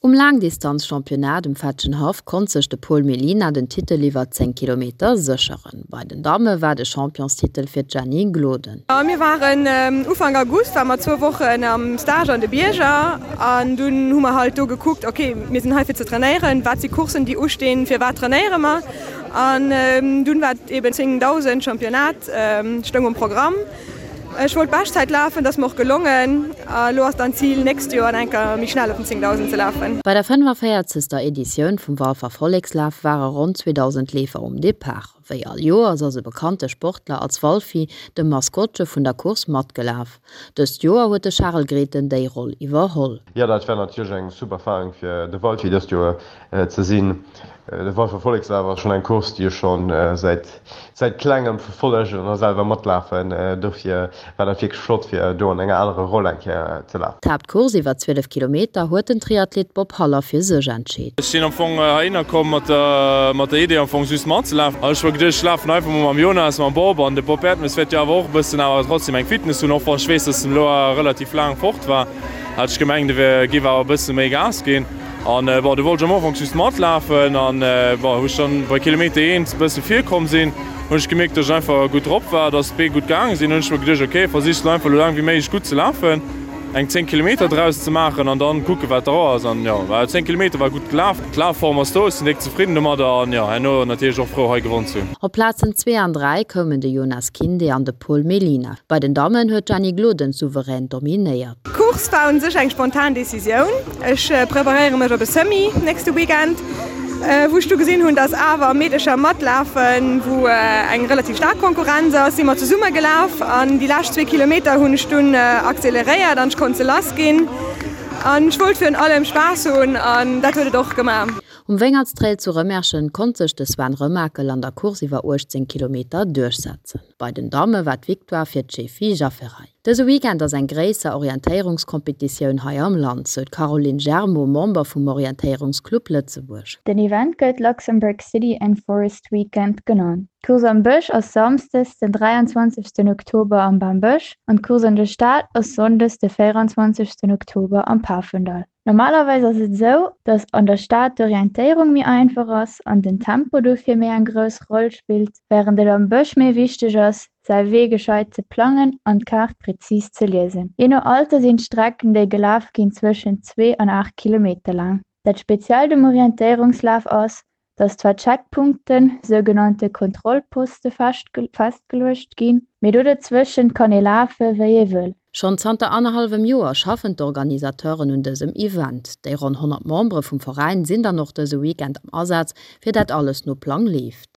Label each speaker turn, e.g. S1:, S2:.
S1: Um Laangdistanz-Championnat um Fetschenhaff konnt sech de Paul Mellina den Titel iwwer 10 Kilometer sécheren. Bei den Damme war de Championstitel fir d'Jenny Gloden.
S2: Mir waren Ufank August ware mer zwou Wochen am Stage an de Bierger an dunn hu mer halt do gekuckt, ok mir sinn hei fir ze trainéieren, wat si Courssen déi ustinn, fir wat trainéiere mer an dunn war eben 10.000 Championnat stoung um Programm. Ech wollt Beschtzäit lafen, dat ass mer och gelongen. A elo ass dann d'Zil nächst Joer eng Kéier méi schnell op den 10.000 ze lafen.
S1: Bei der 45. Editioun vum Walfer Vollekslaf ware ronn 2.000 Leefer um Depart. Wéi all Joers ass e bekannte Sportler als Walfi, dem Maskottche vun der Course, matgelaf. Dëst Joer huet de Charel Grethen déi Roll iwwerholl.
S3: Jo, dat war natierlech eng super Erfarung fir de Walfi dëst Joer ze sinn. De Walfer Vollekslaf ass schonn eng Course, déi ech schonn säit säit klengem verfollegen a selwer matlafen. Dofir war dat wierklech flott, fir do an enger anerer Roll eng Kéier ze lafen.
S1: D'Haaptcourse iwwer 12 Kilometer huet den Triathlet Bob Haller fir sech entscheet.
S4: Ech sinn am Fong heihinner komm mat der mat der Idee am Fong just matzelafen. An ech hu mer geduecht, ech lafen einfach mol mam Jonas, mam Bob an de Bob Erdmes wäert jo awer och e bëssen awer trotzdem eng Fitness hunn, och wann ech weess, dass en elo relativ laang fort war, hat ech gemengt, e géif awer e bësse méi Gas ginn. An bon, du wollt ech am Ufank just matlafen an bon, wou ech dann bei Kilometer 1 e bësse virkomm sinn, hunn ech gemierkt, dass ech einfach gutt drop war, dass d'Bee gutt gaange sinn. Hunn ech mer geduecht, ok, versichs lo einfach lo laang wéi méiglech gutt ze lafen, eng 10 Kilometer draus ze maachen an dann kucke wat dra ass. An jo, war 10 Kilometer war gutt gelaf, d'Lafform ass do, ech sinn déck zefridden domadder an jo, herno natierlech och frou hei gewonn ze hunn.
S1: Op Plazen 2 an 3 koumen de Jonas Kinde an de Paul Mellina. Bei den Dammen huet d'Jenny Gloden souverän dominéiert.
S2: D'Course war un sech eng spontan Decisioun. Ech preparéiere mech op e Semi nächste Weekend, wou ech du gesinn hunn, dass awer Meedecher matlafen, wou eng relativ staark Konkurrenz ass, si mer zesumme gelaf an déi lescht zwee Kilometer hunn ech dunn acceleréiert an ech konnt se lass ginn an ech wollt virun allem Spaass hunn an dat huet et och gemaach.
S1: Um Wéngertstrail zu Rëmerschen konnt sech de Sven Remakel an der Course iwwer 18 Kilometer duerchsetzen. Bei den Damme war d'Victoire fir d'Shefi Jafferaj. Dëse Weekend ass eng gréisser Orientéierungskompetitioun hei am Land, sou d'Caroline Germeau, Member vum Orientéierungsclub Lëtzebuerg.
S5: Den Event gëtt Luxembourg City and Forest Weekend genannt. D'Course am Bësch ass samsdes den 23 Oktober am Bambësch an d'Course an der Stad ass sonndes de 24 Oktober am Pafendall. Normalerweis ass et esou, dass an der Stad d'Orientéierung méi einfach ass an den Tempo dofir méi eng grouss Roll spillt, wärend et am Bësch méi wichteg ass, säi Wee gescheit ze plangen an d'Kaart prezis ze liesen. Jee no Alter sinn d'Strecken, déi gelaf ginn, zwëschen zwee an 8 Kilometer laang. Dat Speziellt um Orientéierungslaf ass, dass zwar Checkpunkten, sougenannte Kontrollposte festgeluecht ginn, mee do dozwëschent kann ee lafe wéi ee wëll.
S1: Schonn zanter annerhallwem Joer schaffen d'Organisateuren un dësem Event. Déi ronn 100 Membere vum Veräin sinn dann och dëse Weekend am Asaz, fir dat alles no Plang leeft.